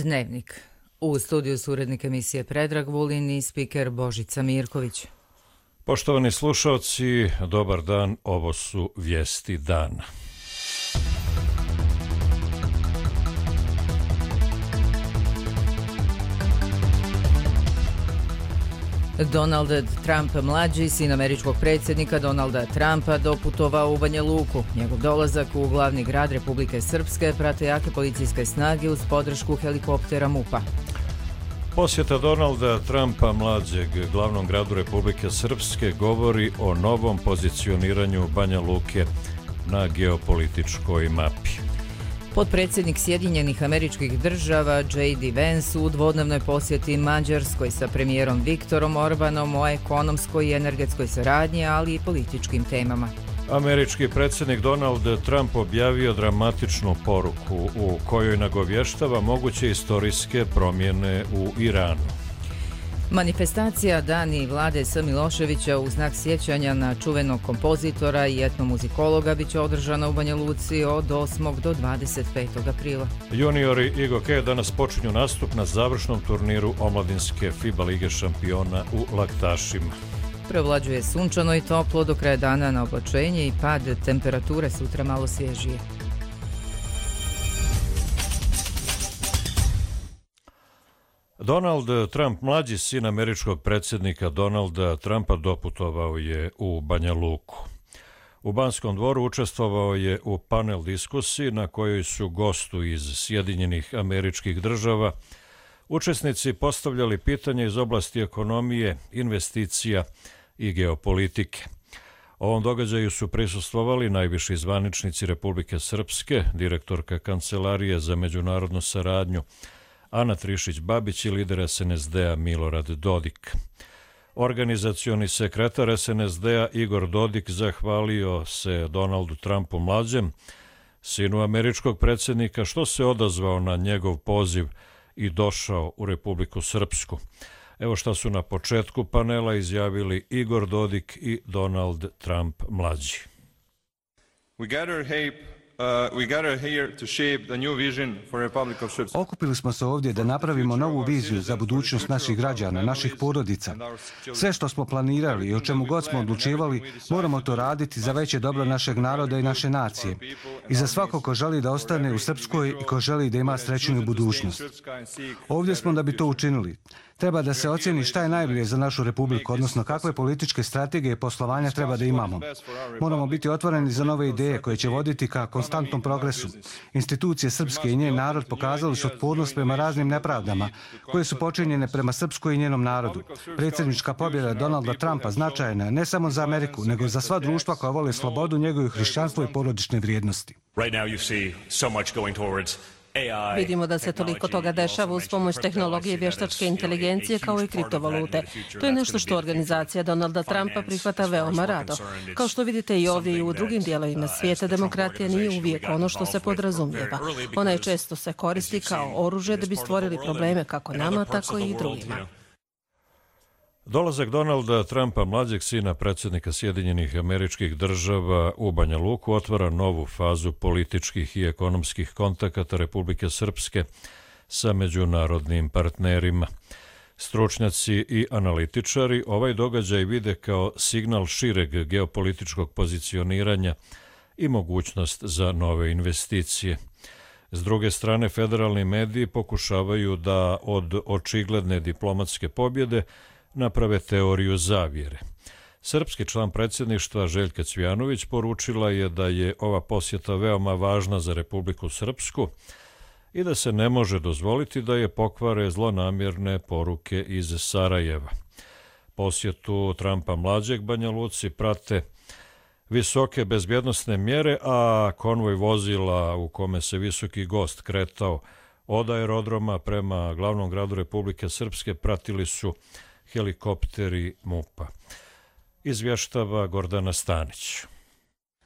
Dnevnik. U studiju su urednik emisije Predrag Vulin i spiker Božica Mirković. Poštovani slušalci, dobar dan, ovo su vijesti dana. Donald Trump mlađi, sin američkog predsjednika Donalda Trumpa, doputovao u Banja Luku. Njegov dolazak u glavni grad Republike Srpske prate jake policijske snage uz podršku helikoptera MUP-a. Posjeta Donalda Trumpa mlađeg glavnom gradu Republike Srpske govori o novom pozicioniranju Banja Luke na geopolitičkoj mapi. Potpredsjednik Sjedinjenih Američkih Država J.D. Vance u dvodnevnoj posjeti Mađarskoj sa premijerom Viktorom Orbanom o ekonomskoj i energetskoj saradnji, ali i političkim temama. Američki predsjednik Donald Trump objavio dramatičnu poruku u kojoj nagovještava moguće istorijske promjene u Iranu. Manifestacija Dani Vlade S. Miloševića u znak sjećanja na čuvenog kompozitora i etnomuzikologa biće održana u Banja Luci od 8. do 25. aprila. Juniori IGOK danas počinju nastup na završnom turniru omladinske FIBA lige šampiona u Laktašima. Prevlađuje sunčano i toplo, do kraja dana na oblačenje i pad temperature, sutra malo svježije. Donald Trump, mlađi sin američkog predsjednika Donalda Trumpa, doputovao je u Banja Luku. U Banskom dvoru učestvovao je u panel diskusiji na kojoj su gostu iz Sjedinjenih Američkih Država učesnici postavljali pitanja iz oblasti ekonomije, investicija i geopolitike. Ovom događaju su prisustvovali najviši zvaničnici Republike Srpske, direktorka Kancelarije za međunarodnu saradnju Ana Trišić-Babić i lider SNSD-a Milorad Dodik. Organizacioni sekretar SNSD-a Igor Dodik zahvalio se Donaldu Trumpu mlađem, sinu američkog predsjednika, što se odazvao na njegov poziv i došao u Republiku Srpsku. Evo šta su na početku panela izjavili Igor Dodik i Donald Trump mlađi. Okupili smo se ovdje da napravimo novu viziju za budućnost naših građana, naših porodica. Sve što smo planirali i o čemu god smo odlučivali, moramo to raditi za veće dobro našeg naroda i naše nacije. I za svako ko želi da ostane u Srpskoj i ko želi da ima srećniju budućnost. Ovdje smo da bi to učinili. Treba da se ocjeni šta je najbolje za našu republiku, odnosno kakve političke strategije i poslovanja treba da imamo. Moramo biti otvoreni za nove ideje koje će voditi ka konstantnom progresu. Institucije Srpske i njen narod pokazali su otpornost prema raznim nepravdama koje su počinjene prema Srpskoj i njenom narodu. Predsjednička pobjeda Donalda Trumpa značajna je ne samo za Ameriku, nego za sva društva koja vole slobodu, njegovo hrišćanstvo i porodične vrijednosti. Vidimo da se toliko toga dešava uz pomoć tehnologije i vještačke inteligencije kao i kriptovalute. To je nešto što organizacija Donalda Trumpa prihvata veoma rado. Kao što vidite i ovdje i u drugim dijelovima svijeta, demokratija nije uvijek ono što se podrazumijeva. Ona je često se koristi kao oružje da bi stvorili probleme kako nama, tako i drugima. Dolazak Donalda Trumpa, mlađeg sina predsjednika Sjedinjenih Američkih Država u Banja Luku, otvara novu fazu političkih i ekonomskih kontakata Republike Srpske sa međunarodnim partnerima. Stručnjaci i analitičari ovaj događaj vide kao signal šireg geopolitičkog pozicioniranja i mogućnost za nove investicije. S druge strane, federalni mediji pokušavaju da od očigledne diplomatske pobjede naprave teoriju zavjere. Srpski član predsjedništva Željka Cvijanović poručila je da je ova posjeta veoma važna za Republiku Srpsku i da se ne može dozvoliti da je pokvare zlonamjerne poruke iz Sarajeva. Posjetu Trumpa mlađeg Banja Luci prate visoke bezbjednosne mjere, a konvoj vozila u kome se visoki gost kretao od aerodroma prema glavnom gradu Republike Srpske pratili su helikopteri MUP-a. Izvještava Gordana Stanić.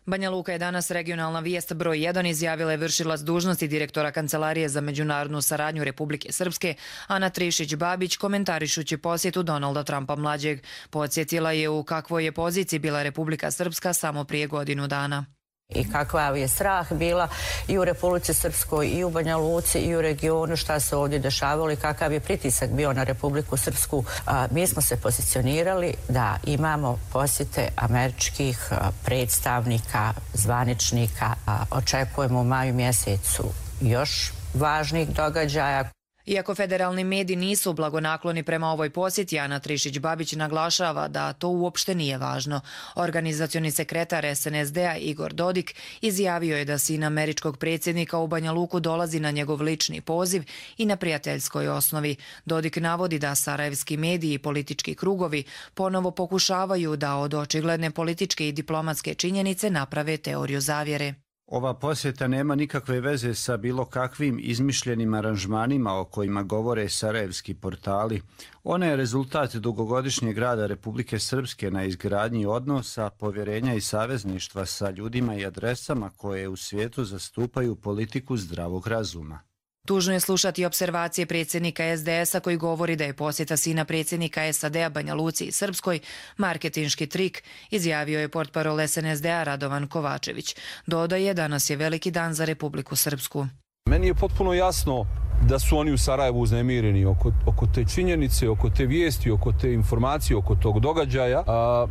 Banja Luka je danas regionalna vijest broj 1, izjavila je vršilac dužnosti direktora Kancelarije za međunarodnu saradnju Republike Srpske Ana Trišić-Babić, komentarišući posjetu Donalda Trumpa mlađeg. Podsjetila je u kakvoj je poziciji bila Republika Srpska samo prije godinu dana. I kakav je strah bila i u Republici Srpskoj i u Banja Luci i u regionu, šta se ovdje dešavalo i kakav je pritisak bio na Republiku Srpsku. Mi smo se pozicionirali da imamo posjete američkih predstavnika, zvaničnika. Očekujemo u maju mjesecu još važnih događaja. Iako federalni mediji nisu blagonakloni prema ovoj posjeti, Ana Trišić-Babić naglašava da to uopšte nije važno. Organizacioni sekretar SNSD-a Igor Dodik izjavio je da sin američkog predsjednika u Banja Luku dolazi na njegov lični poziv i na prijateljskoj osnovi. Dodik navodi da sarajevski mediji i politički krugovi ponovo pokušavaju da od očigledne političke i diplomatske činjenice naprave teoriju zavjere. Ova posjeta nema nikakve veze sa bilo kakvim izmišljenim aranžmanima o kojima govore sarajevski portali. Ona je rezultat dugogodišnjeg rada Republike Srpske na izgradnji odnosa, povjerenja i savezništva sa ljudima i adresama koje u svijetu zastupaju politiku zdravog razuma. Tužno je slušati observacije predsjednika SDS-a koji govori da je posjeta sina predsjednika SAD-a Banja Luci i Srpskoj marketinški trik, izjavio je portparol SNSD-a Radovan Kovačević. Dodaje, danas je veliki dan za Republiku Srpsku. Meni je potpuno jasno da su oni u Sarajevu uznemireni oko te činjenice, oko te vijesti, oko te informacije, oko tog događaja,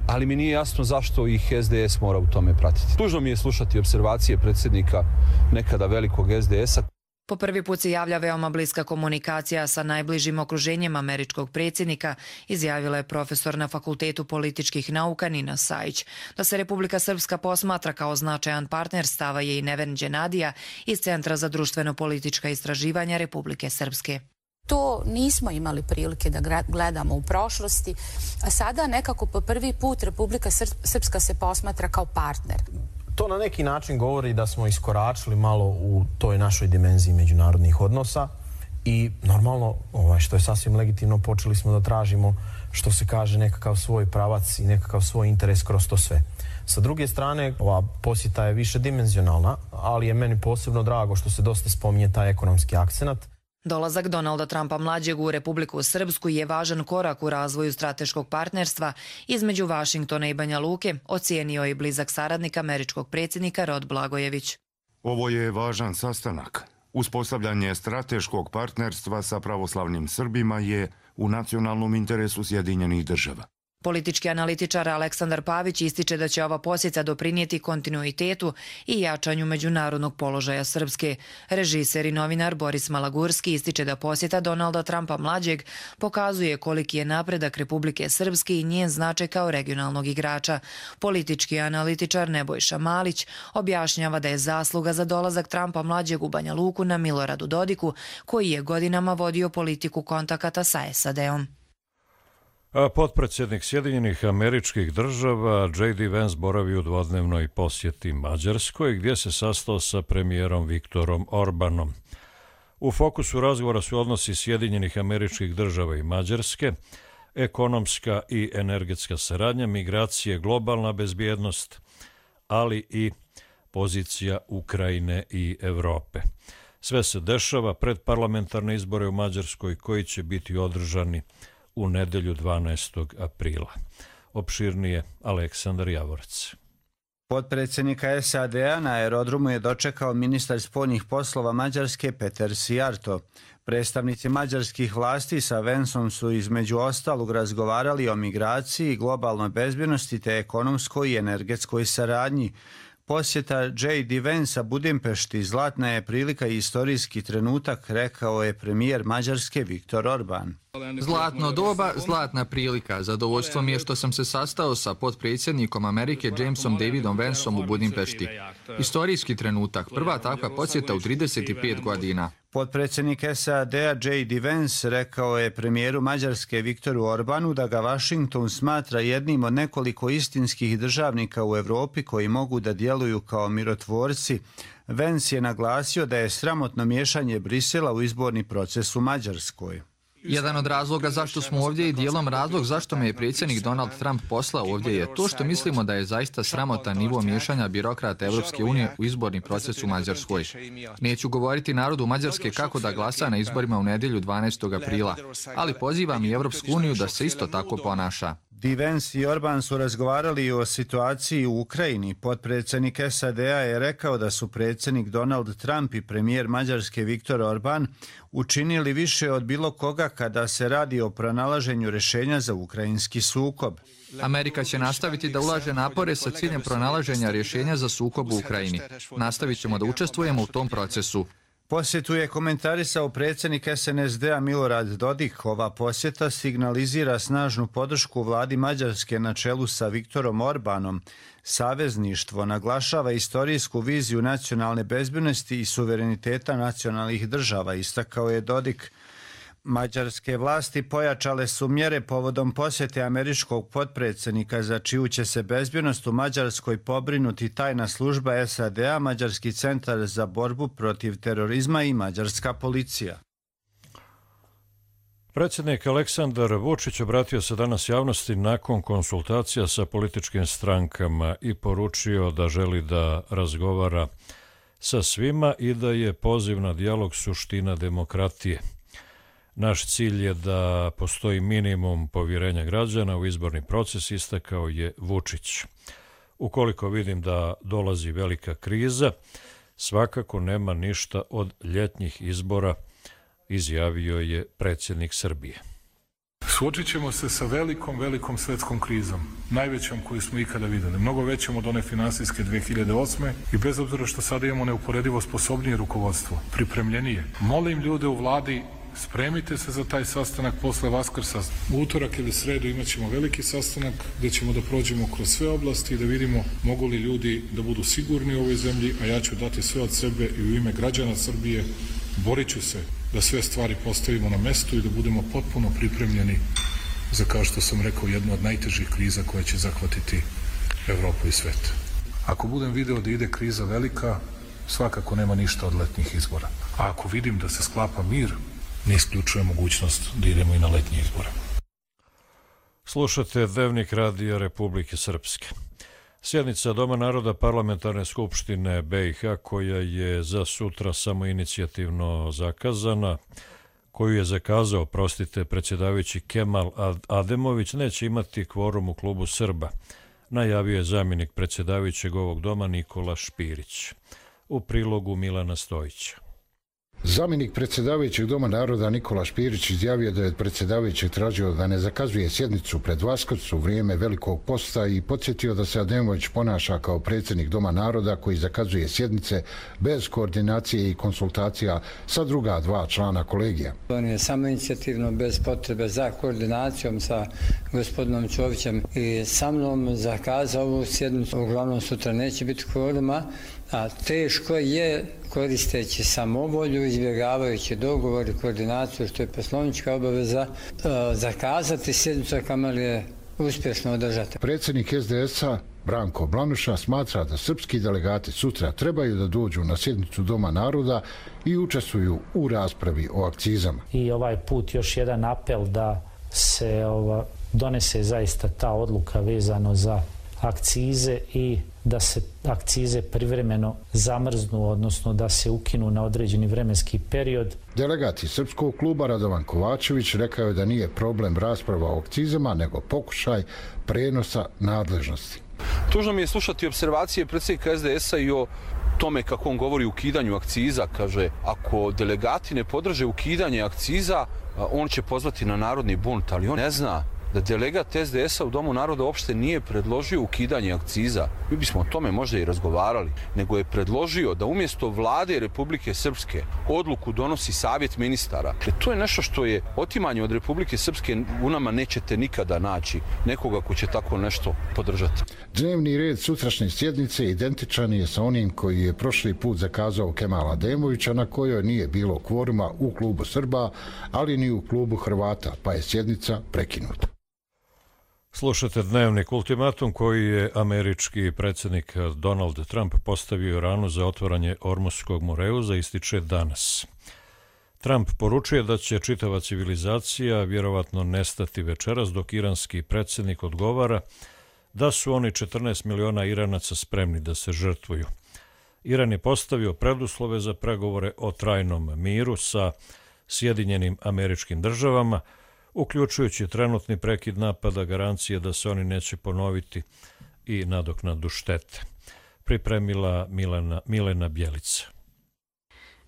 ali mi nije jasno zašto ih SDS mora u tome pratiti. Tužno mi je slušati observacije predsjednika nekada velikog SDS-a. Po prvi put se javlja veoma bliska komunikacija sa najbližim okruženjem američkog predsjednika, izjavila je profesor na Fakultetu političkih nauka Nina Sajić. Da se Republika Srpska posmatra kao značajan partner stava je i Neven Đenadija iz Centra za društveno-politička istraživanja Republike Srpske. To nismo imali prilike da gledamo u prošlosti, a sada nekako po prvi put Republika Srpska se posmatra kao partner. To na neki način govori da smo iskoračili malo u toj našoj dimenziji međunarodnih odnosa i normalno, što je sasvim legitimno, počeli smo da tražimo, što se kaže, nekakav svoj pravac i nekakav svoj interes kroz to sve. Sa druge strane, ova posjeta je višedimenzionalna, ali je meni posebno drago što se dosta spominje taj ekonomski akcenat. Dolazak Donalda Trumpa mlađeg u Republiku Srpsku je važan korak u razvoju strateškog partnerstva između Vašingtona i Banja Luke, ocijenio je blizak saradnik američkog predsjednika Rod Blagojević. Ovo je važan sastanak. Uspostavljanje strateškog partnerstva sa pravoslavnim Srbima je u nacionalnom interesu Sjedinjenih Država. Politički analitičar Aleksandar Pavić ističe da će ova posjeta doprinijeti kontinuitetu i jačanju međunarodnog položaja Srpske. Režiser i novinar Boris Malagurski ističe da posjeta Donalda Trumpa mlađeg pokazuje koliki je napredak Republike Srpske i njen značaj kao regionalnog igrača. Politički analitičar Nebojša Malić objašnjava da je zasluga za dolazak Trumpa mlađeg u Banja Luku na Miloradu Dodiku, koji je godinama vodio politiku kontakata sa SAD-om. Potpredsjednik Sjedinjenih Američkih Država J.D. Vance boravi u dvodnevnoj posjeti Mađarskoj, gdje se sastao sa premijerom Viktorom Orbanom. U fokusu razgovora su odnosi Sjedinjenih Američkih Država i Mađarske, ekonomska i energetska saradnja, migracije, globalna bezbjednost, ali i pozicija Ukrajine i Evrope. Sve se dešava pred parlamentarne izbore u Mađarskoj koji će biti održani u nedelju 12. aprila. Opširnije Aleksandar Javorac. Potpredsjednika SAD-a na aerodromu je dočekao ministar spoljnih poslova Mađarske Peter Sijarto. Predstavnici mađarskih vlasti sa Vanceom su između ostalog razgovarali o migraciji, globalnoj bezbjednosti te ekonomskoj i energetskoj saradnji. Posjeta J.D. Vancea Budimpešti zlatna je prilika i istorijski trenutak, rekao je premijer Mađarske Viktor Orban. Zlatno doba, zlatna prilika. Zadovoljstvo mi je što sam se sastao sa potpredsjednikom Amerike Jamesom Davidom Vanceom u Budimpešti. Istorijski trenutak, prva takva posjeta u 35 godina. Potpredsjednik SAD-a J.D. Vance rekao je premijeru Mađarske Viktoru Orbanu da ga Washington smatra jednim od nekoliko istinskih državnika u Evropi koji mogu da djeluju kao mirotvorci. Vance je naglasio da je sramotno miješanje Brisela u izborni proces u Mađarskoj. Jedan od razloga zašto smo ovdje i dijelom razlog zašto me je predsjednik Donald Trump poslao ovdje je to što mislimo da je zaista sramotan nivo miješanja birokrata Evropske unije u izborni proces u Mađarskoj. Neću govoriti narodu Mađarske kako da glasa na izborima u nedjelju 12. aprila, ali pozivam i Evropsku uniju da se isto tako ponaša. Vance i Orban su razgovarali o situaciji u Ukrajini. Potpredsjednik SAD-a je rekao da su predsjednik Donald Trump i premijer Mađarske Viktor Orban učinili više od bilo koga kada se radi o pronalaženju rješenja za ukrajinski sukob. Amerika će nastaviti da ulaže napore sa ciljem pronalaženja rješenja za sukob u Ukrajini. Nastavit ćemo da učestvujemo u tom procesu. Posjetu je komentarisao predsjednik SNSD-a Milorad Dodik. Ova posjeta signalizira snažnu podršku vladi Mađarske na čelu sa Viktorom Orbanom. Savezništvo naglašava istorijsku viziju nacionalne bezbednosti i suvereniteta nacionalnih država, istakao je Dodik. Mađarske vlasti pojačale su mjere povodom posjete američkog potpredsjednika za čiju će se bezbjednost u Mađarskoj pobrinuti tajna služba SAD-a, Mađarski centar za borbu protiv terorizma i mađarska policija. Predsjednik Aleksandar Vučić obratio se danas javnosti nakon konsultacija sa političkim strankama i poručio da želi da razgovara sa svima i da je poziv na dijalog suština demokratije. Naš cilj je da postoji minimum povjerenja građana u izborni proces, istakao je Vučić. Ukoliko vidim da dolazi velika kriza, svakako nema ništa od ljetnjih izbora, izjavio je predsjednik Srbije. Suočit ćemo se sa velikom svjetskom krizom, najvećom koju smo ikada vidjeli, mnogo većom od one finansijske 2008. i bez obzira što sada imamo neuporedivo sposobnije rukovodstvo, pripremljenije. Molim ljude u vladi, spremite se za taj sastanak posle Vaskrsa. U utorak ili sredu imat ćemo veliki sastanak gdje ćemo da prođemo kroz sve oblasti i da vidimo mogu li ljudi da budu sigurni u ovoj zemlji, a ja ću dati sve od sebe i u ime građana Srbije borit ću se da sve stvari postavimo na mestu i da budemo potpuno pripremljeni za, kao što sam rekao, jednu od najtežih kriza koja će zahvatiti Evropu i svet. Ako budem video da ide kriza velika, svakako nema ništa od letnjih izbora. A ako vidim da se sklapa mir, ne isključuje mogućnost da idemo i na letnje izbore. Slušate Dnevnik Radija Republike Srpske. Sjednica Doma naroda Parlamentarne skupštine BiH, koja je za sutra samoinicijativno zakazana, koju je zakazao, predsjedavajući Kemal Ademović, neće imati kvorum u klubu Srba, najavio je zamjenik predsjedavajućeg ovog doma Nikola Špirić. U prilogu Milana Stojića. Zamjenik predsjedavajućeg Doma naroda Nikola Špirić izjavio da je od predsjedavajućeg tražio da ne zakazuje sjednicu pred Vaskrs u vrijeme Velikog posta i podsjetio da se Ademović ponaša kao predsjednik Doma naroda koji zakazuje sjednice bez koordinacije i konsultacija sa druga dva člana kolegija. On je samoinicijativno, bez potrebe za koordinacijom sa gospodinom Čovićem i sa mnom zakazao ovu sjednicu. Uglavnom sutra neće biti kvoruma, a teško je, koristeći samovolju, izbjegavajući dogovor i koordinaciju, što je poslovnička obaveza, zakazati sjednicu, a kamoli je uspješno održati. Predsjednik SDS-a Branko Blanuša smatra da srpski delegati sutra trebaju da dođu na sjednicu Doma naroda i učestvuju u raspravi o akcizama. I ovaj put još jedan apel da se donese zaista ta odluka vezano za akcize i da se akcize privremeno zamrznu, odnosno da se ukinu na određeni vremenski period. Delegati Srpskog kluba Radovan Kovačević rekao je da nije problem rasprava o akcizama, nego pokušaj prenosa nadležnosti. Tužno mi je slušati observacije predsjednika SDS-a i o tome kako on govori o ukidanju akciza. Kaže, ako delegati ne podrže ukidanje akciza, on će pozvati na narodni bunt, ali on ne zna da delegat SDS-a u Domu naroda uopšte nije predložio ukidanje akciza. Mi bismo o tome možda i razgovarali, nego je predložio da umjesto vlade Republike Srpske odluku donosi savjet ministara. To je nešto što je otimanje od Republike Srpske, u nama nećete nikada naći nekoga ko će tako nešto podržati. Dnevni red sutrašnje sjednice identičan je sa onim koji je prošli put zakazao Kemal Ademovića, na kojoj nije bilo kvoruma u klubu Srba, ali ni u klubu Hrvata, pa je sjednica prekinuta. Slušate Dnevnik. Ultimatum koji je američki predsjednik Donald Trump postavio Iranu za otvaranje Ormuskog moreuza ističe danas. Trump poručuje da će čitava civilizacija vjerovatno nestati večeras, dok iranski predsjednik odgovara da su oni 14 miliona Iranaca spremni da se žrtvuju. Iran je postavio preduslove za pregovore o trajnom miru sa Sjedinjenim Američkim Državama, uključujući trenutni prekid napada, garancije da se oni neće ponoviti i nadoknadu štete. Pripremila Milena Bjelica.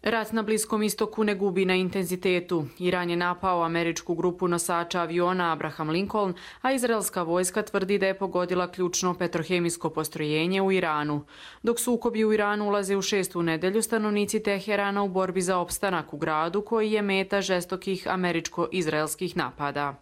Rat na Bliskom istoku ne gubi na intenzitetu. Iran je napao američku grupu nosača aviona Abraham Lincoln, a izraelska vojska tvrdi da je pogodila ključno petrohemijsko postrojenje u Iranu. Dok sukobi u Iranu ulaze u 6. nedelju, stanovnici Teherana u borbi za opstanak u gradu koji je meta žestokih američko-izraelskih napada.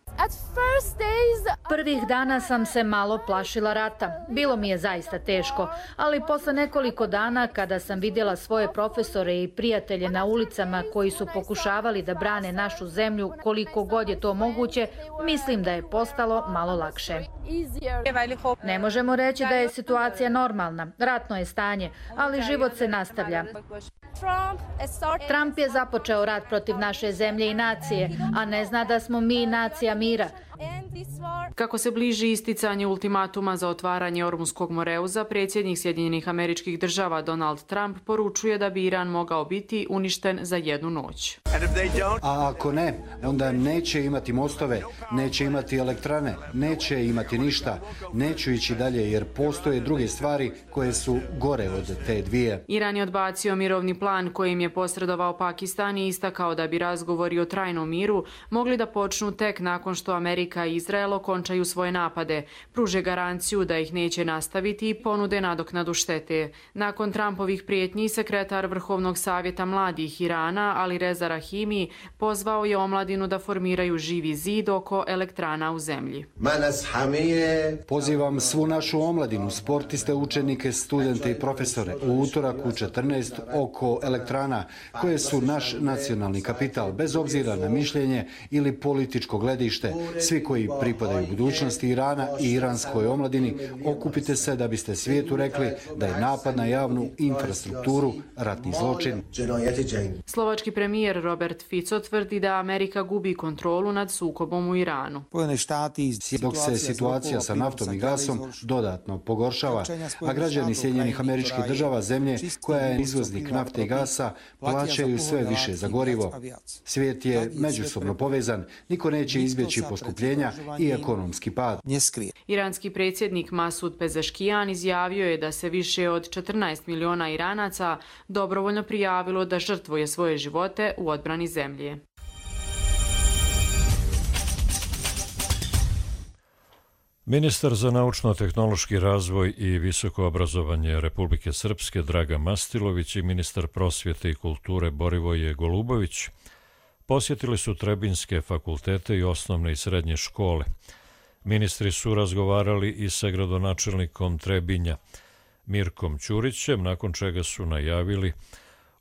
Prvih dana sam se malo plašila rata. Bilo mi je zaista teško, ali posle nekoliko dana kada sam vidjela svoje profesore i prijatelje na ulicama koji su pokušavali da brane našu zemlju koliko god je to moguće, mislim da je postalo malo lakše. Ne možemo reći da je situacija normalna, ratno je stanje, ali život se nastavlja. Trump je započeo rat protiv naše zemlje i nacije, a ne zna da smo mi nacija mira. Kako se bliži isticanje ultimatuma za otvaranje Ormunskog moreuza, predsjednik Sjedinjenih Američkih Država Donald Trump poručuje da bi Iran mogao biti uništen za jednu noć. A ako ne, onda neće imati mostove, neće imati elektrane, neće imati ništa, neću ići dalje jer postoje druge stvari koje su gore od te dvije. Iran je odbacio mirovni plan kojim je posredovao Pakistan i istakao da bi razgovori o trajnom miru mogli da počnu tek nakon što Amerika i Izrael okončaju svoje napade, pruže garanciju da ih neće nastaviti i ponude nadoknadu štete. Nakon Trumpovih prijetnji, sekretar Vrhovnog savjeta mladih Irana, Ali Reza Rahimi, pozvao je omladinu da formiraju živi zid oko elektrana u zemlji. Pozivam svu našu omladinu, sportiste, učenike, studente i profesore u utorak u 14 oko elektrana koje su naš nacionalni kapital, bez obzira na mišljenje ili političko gledište. Svi koji pripadaju budućnosti Irana i iranskoj omladini, okupite se da biste svijetu rekli da je napad na javnu infrastrukturu ratni zločin. Slovački premijer Robert Fico tvrdi da Amerika gubi kontrolu nad sukobom u Iranu. Dok se situacija sa naftom i gasom dodatno pogoršava, a građani Sjedinjenih Američkih Država, zemlje koja je izvoznik nafte i gasa, plaćaju sve više za gorivo. Svijet je međusobno povezan, niko neće izbjeći poskupljenja i ekonomski pad. Iranski predsjednik Masud Pezeškijan izjavio je da se više od 14 miliona Iranaca dobrovoljno prijavilo da žrtvuje svoje živote u odbrani zemlje. Ministar za naučno-tehnološki razvoj i visoko obrazovanje Republike Srpske Draga Mastilović i ministar prosvjete i kulture Borivoje Golubović posjetili su Trebinjske fakultete i osnovne i srednje škole. Ministri su razgovarali i sa gradonačelnikom Trebinja Mirkom Ćurićem, nakon čega su najavili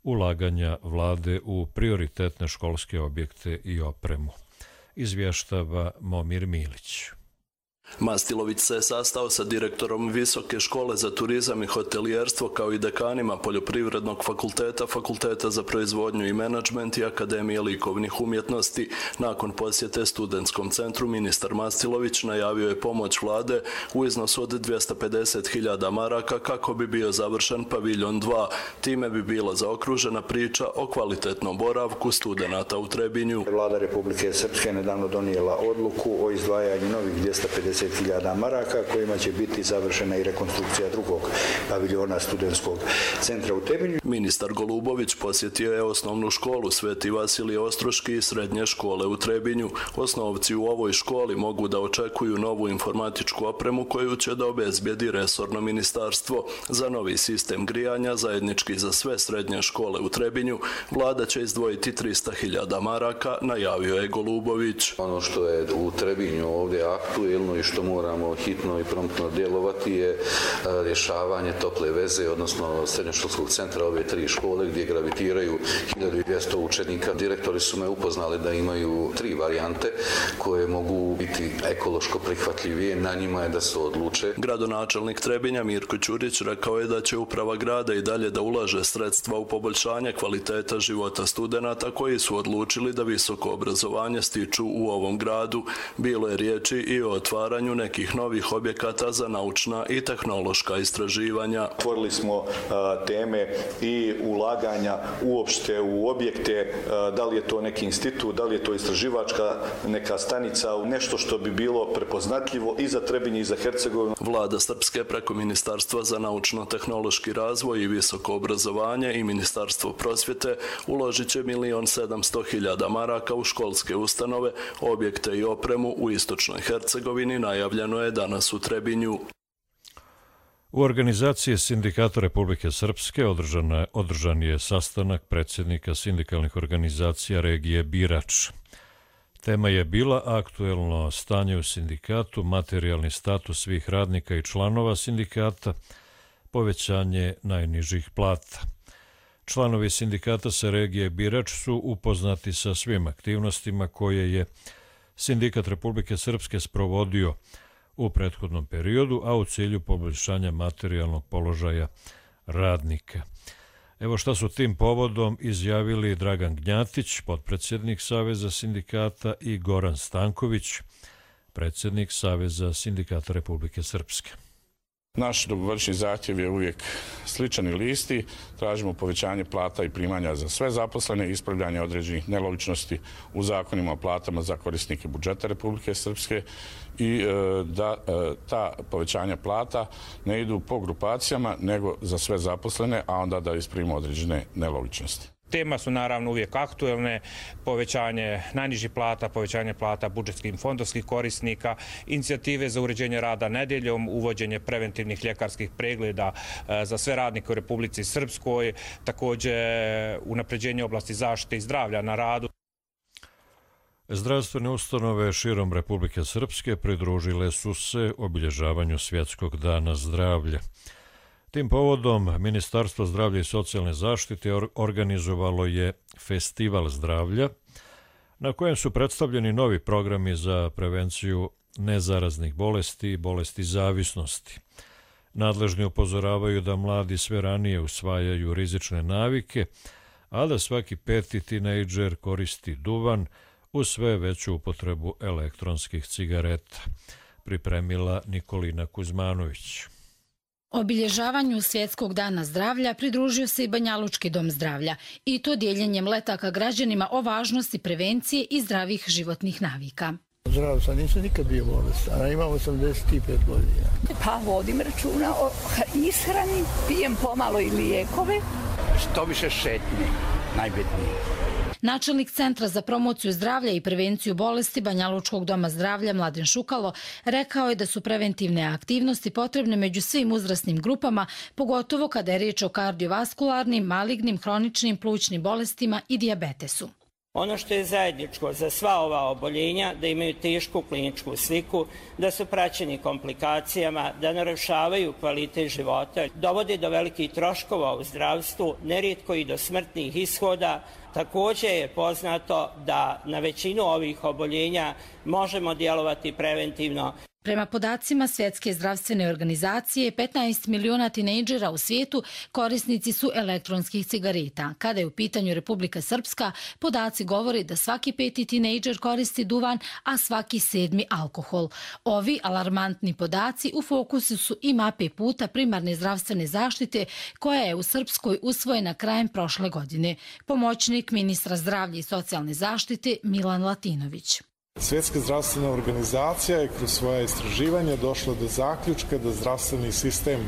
ulaganja vlade u prioritetne školske objekte i opremu. Izvještava Momir Milić. Mastilović se sastao sa direktorom Visoke škole za turizam i hotelijerstvo kao i dekanima Poljoprivrednog fakulteta, Fakulteta za proizvodnju i menadžment i Akademije likovnih umjetnosti. Nakon posjete studentskom centru, ministar Mastilović najavio je pomoć vlade u iznosu od 250.000 maraka kako bi bio završen paviljon 2. Time bi bila zaokružena priča o kvalitetnom boravku studenata u Trebinju. Vlada Republike Srpske nedavno donijela odluku o izdvajanju novih 250.000 maraka kojima će biti završena i rekonstrukcija drugog paviljona studentskog centra u Trebinju. Ministar Golubović posjetio je osnovnu školu Sveti Vasilije Ostroški i srednje škole u Trebinju. Osnovci u ovoj školi mogu da očekuju novu informatičku opremu koju će da obezbijedi resorno ministarstvo. Za novi sistem grijanja, zajednički za sve srednje škole u Trebinju, vlada će izdvojiti 300.000 maraka, najavio je Golubović. Ono što je u Trebinju ovdje aktuelno i što moramo hitno i promptno djelovati je rješavanje tople veze, odnosno srednjoškolskog centra ove 3 škole gdje gravitiraju 1200 učenika. Direktori su me upoznali da imaju 3 varijante koje mogu biti ekološko prihvatljivije, na njima je da se odluče. Gradonačelnik Trebinja Mirko Ćurić rekao je da će uprava grada i dalje da ulaže sredstva u poboljšanje kvaliteta života studenata koji su odlučili da visoko obrazovanje stiču u ovom gradu. Bilo je riječi i o otvaranju otvaranju nekih novih objekata za naučna i tehnološka istraživanja. Otvorili smo teme i ulaganja uopšte u objekte, da li je to neki institut, da li je to istraživačka neka stanica, nešto što bi bilo prepoznatljivo i za Trebinje i za Hercegovinu. Vlada Srpske preko Ministarstva za naučno-tehnološki razvoj i visoko obrazovanje i Ministarstvo prosvjete uložit će 1.700.000 maraka u školske ustanove, objekte i opremu u istočnoj Hercegovini, najavljeno je danas u Trebinju. U organizaciji Sindikata Republike Srpske održan je sastanak predsjednika sindikalnih organizacija regije Birač. Tema je bila aktuelno stanje u sindikatu, materijalni status svih radnika i članova sindikata, povećanje najnižih plata. Članovi sindikata sa regije Birač su upoznati sa svim aktivnostima koje je Sindikat Republike Srpske sprovodio u prethodnom periodu, a u cilju poboljšanja materijalnog položaja radnika. Evo šta su tim povodom izjavili Dragan Gnjatić, potpredsjednik Saveza sindikata, i Goran Stanković, predsjednik Saveza sindikata Republike Srpske. Naš dugogodišnji zahtjev je uvijek sličan i isti. Tražimo povećanje plata i primanja za sve zaposlene, ispravljanje određenih nelogičnosti u zakonima o platama za korisnike budžeta Republike Srpske i da ta povećanja plata ne idu po grupacijama nego za sve zaposlene, a onda da ispravimo određene nelogičnosti. Tema su naravno uvijek aktuelne, povećanje najnižih plata, povećanje plata budžetskih fondovskih korisnika, inicijative za uređenje rada nedjeljom, uvođenje preventivnih ljekarskih pregleda za sve radnike u Republici Srpskoj, također unapređenje oblasti zaštite i zdravlja na radu. Zdravstvene ustanove širom Republike Srpske pridružile su se obilježavanju Svjetskog dana zdravlja. Tim povodom Ministarstvo zdravlja i socijalne zaštite organizovalo je Festival zdravlja, na kojem su predstavljeni novi programi za prevenciju nezaraznih bolesti i bolesti zavisnosti. Nadležni upozoravaju da mladi sve ranije usvajaju rizične navike, a da svaki 5. tinejdžer koristi duvan uz sve veću upotrebu elektronskih cigareta, pripremila Nikolina Kuzmanović. Obilježavanju Svjetskog dana zdravlja pridružio se i Banjalučki dom zdravlja, i to dijeljenjem letaka građanima o važnosti prevencije i zdravih životnih navika. Zdrav sam, nisam nikad bio bolestan, a imam 85 godina. Pa vodim računa o ishrani, pijem pomalo i lijekove. Što više šetnje, najbitnije. Načelnik Centra za promociju zdravlja i prevenciju bolesti Banjalučkog doma zdravlja Mladen Šukalo rekao je da su preventivne aktivnosti potrebne među svim uzrasnim grupama, pogotovo kada je riječ o kardiovaskularnim, malignim, hroničnim plućnim bolestima i dijabetesu. Ono što je zajedničko za sva ova oboljenja, da imaju tešku kliničku sliku, da su praćeni komplikacijama, da narušavaju kvalitet života, dovode do velikih troškova u zdravstvu, nerijetko i do smrtnih ishoda. Također je poznato da na većinu ovih oboljenja možemo djelovati preventivno. Prema podacima Svjetske zdravstvene organizacije, 15 miliona tinejdžera u svijetu korisnici su elektronskih cigareta. Kada je u pitanju Republika Srpska, podaci govori da svaki 5. tinejdžer koristi duvan, a svaki 7. alkohol. Ovi alarmantni podaci u fokusu su i mape puta primarne zdravstvene zaštite koja je u Srpskoj usvojena krajem prošle godine. Pomoćnik ministra zdravlja i socijalne zaštite Milan Latinović. Svjetska zdravstvena organizacija je kroz svoje istraživanje došla do zaključka da zdravstveni sistem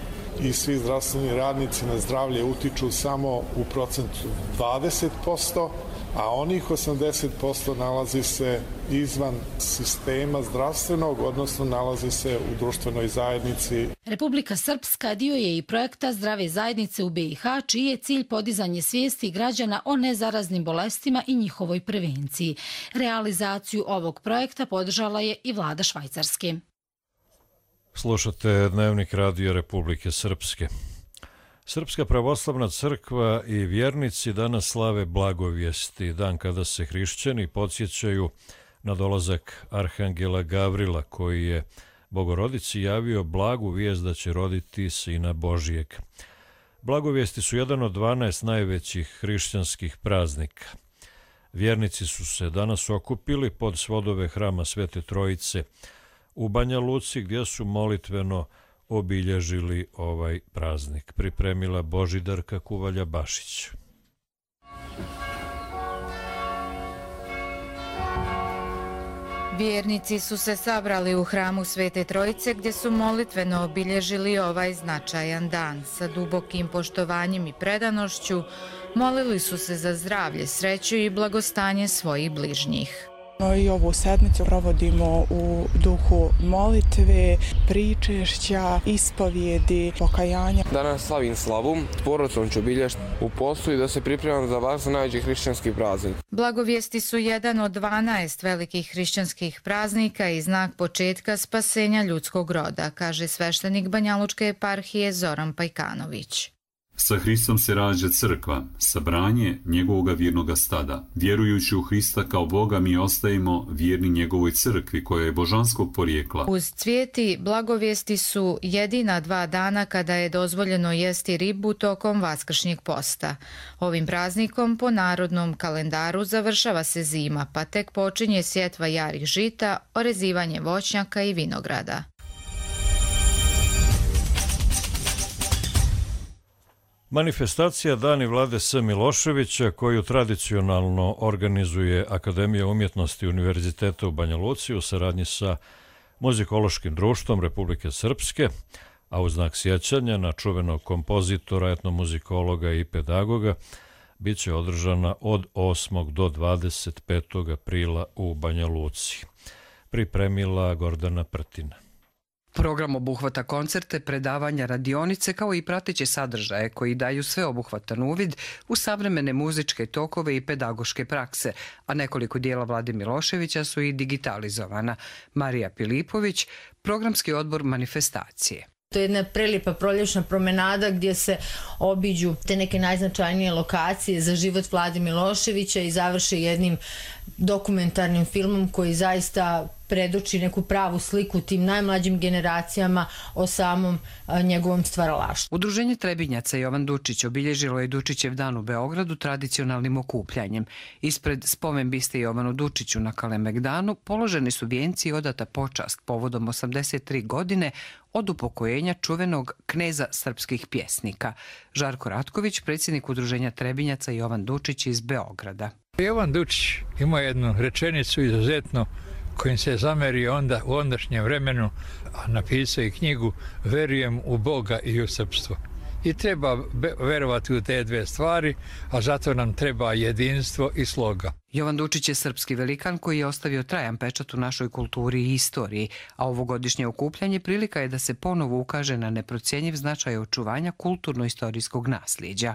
i svi zdravstveni radnici na zdravlje utiču samo u procentu 20%, a onih 80% nalazi se izvan sistema zdravstvenog, odnosno nalazi se u društvenoj zajednici. Republika Srpska dio je i projekta Zdrave zajednice u BiH, čiji je cilj podizanje svijesti građana o nezaraznim bolestima i njihovoj prevenciji. Realizaciju ovog projekta podržala je i vlada Švajcarske. Slušate Dnevnik radija Republike Srpske. Srpska pravoslavna crkva i vjernici danas slave blagovijesti, dan kada se hrišćani podsjećaju na dolazak arhangela Gavrila, koji je Bogorodici javio blagu vijest da će roditi Sina Božijeg. Blagovijesti su jedan od 12 najvećih hrišćanskih praznika. Vjernici su se danas okupili pod svodove hrama Svete Trojice u Banja Luci gdje su molitveno obilježili ovaj praznik. Pripremila Božidarka Kuvalja-Bašić. Vjernici su se sabrali u hramu Svete Trojice gdje su molitveno obilježili ovaj značajan dan. Sa dubokim poštovanjem i predanošću molili su se za zdravlje, sreću i blagostanje svojih bližnjih. I ovu sedmicu provodimo u duhu molitve, pričešća, ispovjedi, pokajanja. Danas slavim slavu, s porodicom ću obilježiti u postu i da se pripremam za važan najveći hrišćanski praznik. Blagovijesti su jedan od 12 velikih hrišćanskih praznika i znak početka spasenja ljudskog roda, kaže sveštenik Banjalučke eparhije Zoran Pajkanović. Sa Hristom se rađa crkva, sabranje njegovoga vjernoga stada. Vjerujući u Hrista kao Boga mi ostajemo vjerni njegovoj crkvi koja je božanskog porijekla. Uz cvijeti blagovijesti su jedina 2 dana kada je dozvoljeno jesti ribu tokom vaskršnjeg posta. Ovim praznikom po narodnom kalendaru završava se zima, pa tek počinje sjetva jarih žita, orezivanje voćnjaka i vinograda. Manifestacija Dani Vlade S. Miloševića, koju tradicionalno organizuje Akademija umjetnosti Univerziteta u Banja Luci u saradnji sa Muzikološkim društvom Republike Srpske, a u znak sjećanja na čuvenog kompozitora, etnomuzikologa i pedagoga, bit će održana od 8. do 25. aprila u Banja Luci. Pripremila Gordana Prtina. Program obuhvata koncerte, predavanja, radionice kao i prateće sadržaje koji daju sveobuhvatan uvid u savremene muzičke tokove i pedagoške prakse, a nekoliko dijela Vlade Miloševića su i digitalizovana. Marija Pilipović, programski odbor manifestacije. To je jedna prelijepa proljećna promenada gdje se obiđu te neke najznačajnije lokacije za život Vlade Miloševića i završe jednim dokumentarnim filmom koji zaista predoči neku pravu sliku tim najmlađim generacijama o samom njegovom stvaralaštvu. Udruženje Trebinjaca Jovan Dučić obilježilo je Dučićev dan u Beogradu tradicionalnim okupljanjem. Ispred spomen biste Jovanu Dučiću na Kalemegdanu položeni su vijenci i odata počast povodom 83 godine od upokojenja čuvenog kneza srpskih pjesnika. Žarko Ratković, predsjednik Udruženja Trebinjaca Jovan Dučić iz Beograda. Jovan Dučić ima jednu rečenicu izuzetno kojim se zameri onda u ondašnjem vremenu, a napisao i knjigu Verujem u Boga i u srpstvo. I treba verovati u te 2 stvari, a zato nam treba jedinstvo i sloga. Jovan Dučić je srpski velikan koji je ostavio trajan pečat u našoj kulturi i istoriji, a ovogodišnje okupljanje prilika je da se ponovo ukaže na neprocjenjiv značaj očuvanja kulturno-istorijskog nasljeđa.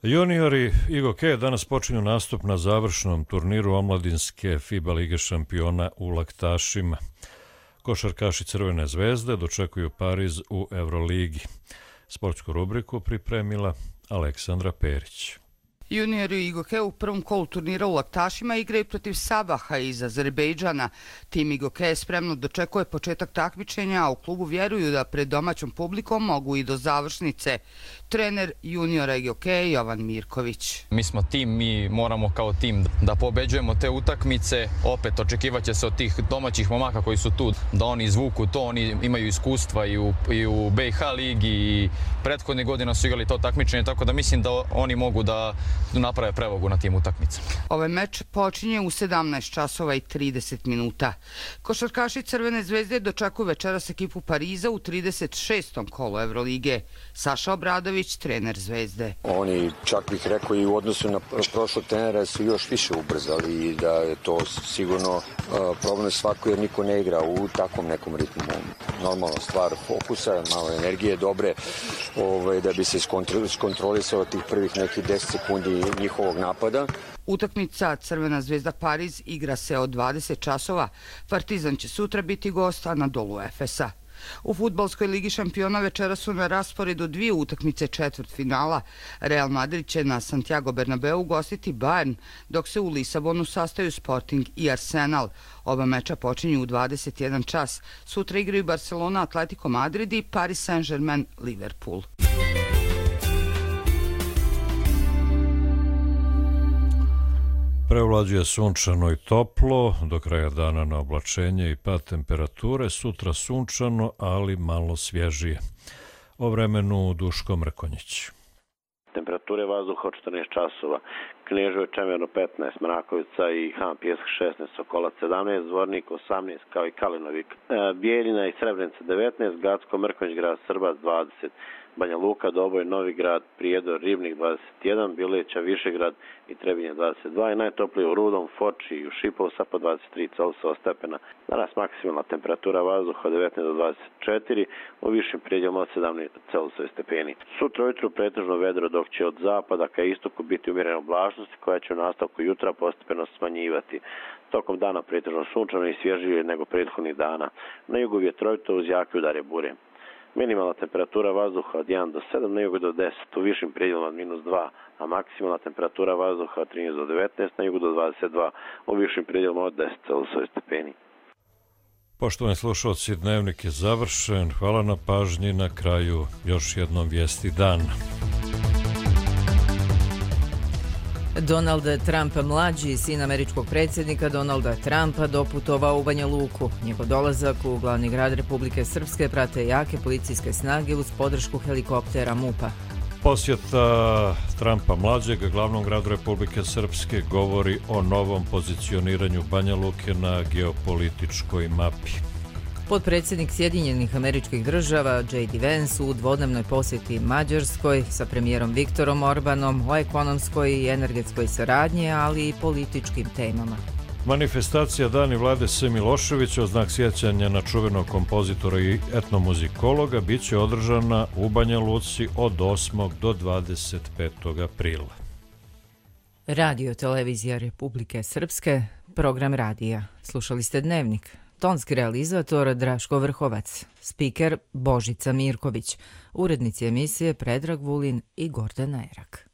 Juniori IGOK danas počinju nastup na završnom turniru omladinske FIBA Lige šampiona u Laktašima. Košarkaši Crvene zvezde dočekuju Pariz u Euroligi. Sportsku rubriku pripremila Aleksandra Perić. Juniori IGOK u prvom kolu turnira u Laktašima igraju protiv Sabaha iz Azerbejdžana. Tim IGOK spremno dočekuje početak takmičenja, a u klubu vjeruju da pred domaćom publikom mogu i do završnice. Trener juniora IGOK Jovan Mirković. Mi smo tim, mi moramo kao tim da pobeđujemo te utakmice. Opet očekivaće se od tih domaćih momaka koji su tu da oni izvuku to, oni imaju iskustva i u BiH ligi i prethodne godina su igrali to takmičenje, tako da mislim da oni mogu da naprave prevagu na tim utakmicama. Ovaj meč počinje u 17 časova i 30 minuta. Košarkaši Crvene zvezde dočekuju večeras ekipu Pariza u 36. kolu Evrolige. Saša Obradović, trener Zvezde. Oni, čak bih rekao, i u odnosu na prošlog trenera su još više ubrzali i da je to sigurno problem svako jer niko ne igra u takvom nekom ritmu. Normalno stvar fokusa, malo energije dobre da bi se iskontrolisao tih prvih nekih 10 sekundi njihovog napada. Utakmica Crvena zvezda Pariz igra se od 20 časova. Partizan će sutra biti gost Anadolu Efesa. U fudbalskoj ligi šampiona večera su na rasporedu 2 utakmice četvrtfinala. Real Madrid će na Santiago Bernabeu gostiti Bayern, dok se u Lisabonu sastaju Sporting i Arsenal. Oba meča počinju u 21 čas. Sutra igraju Barcelona, Atletico Madrid i Paris Saint-Germain, Liverpool. Prevlađuje sunčano i toplo, do kraja dana na oblačenje i pad temperature, sutra sunčano, ali malo svježije. O vremenu Duško Mrkonjić. Temperature vazduha od 14 časova. Kneževo Čemerno 15, Mrakovica i Han Pjesak 16, Sokolac 17, Zvornik 18, kao i Kalinovik. Bijeljina i Srebrenica 19, Gacko, Mrkonjić, grad Srbac 20, Banja Luka, Doboj, Novi Grad, Prijedor, Ribnik 21, Bileća, Višegrad i Trebinje 22 i najtoplije u Rudom, Foči i u Šipovsa po 23 Celsiusova stepena. Danas maksimalna temperatura vazduha od 19 do 24, u višim prijedjelima od 17 Celsiusova stepeni. Sutra ujutru pretežno vedro, dok će od zapada ka istoku biti umjerene oblačnosti koja će u nastavku jutra postepeno smanjivati. Tokom dana pretežno sunčano i svježije nego prethodnih dana. Na jugu vjetrovito uz jake udare bure. Minimalna temperatura vazduha od 1 do 7, na jugu do 10, u višim prijedjelima od -2, a maksimalna temperatura vazduha od 13 do 19, na jugu do 22, u višim prijedjelima od 10 Celsiusova stepeni. Poštovani slušalci, dnevnik je završen. Hvala na pažnji. Na kraju još jednom vijesti dana. Donald Trump mlađi, sin američkog predsjednika Donalda Trumpa, doputovao u Banja Luku. Njegov dolazak u glavni grad Republike Srpske prate jake policijske snage uz podršku helikoptera MUP-a. Posjeta Trumpa mlađeg glavnom gradu Republike Srpske govori o novom pozicioniranju Banja Luke na geopolitičkoj mapi. Potpredsjednik Sjedinjenih Američkih Država J.D. Vance u dvodnevnoj posjeti Mađarskoj sa premijerom Viktorom Orbanom o ekonomskoj i energetskoj saradnji, ali i političkim temama. Manifestacija Dani Vlade S. Miloševića u znak sjećanja na čuvenog kompozitora i etnomuzikologa bit će održana u Banja Luci od 8. do 25. aprila. Radio Televizija Republike Srpske, program radija. Slušali ste Dnevnik. Tonski realizator Draško Vrhovac, spiker Božica Mirković, urednici emisije Predrag Vulin i Gordana Erak.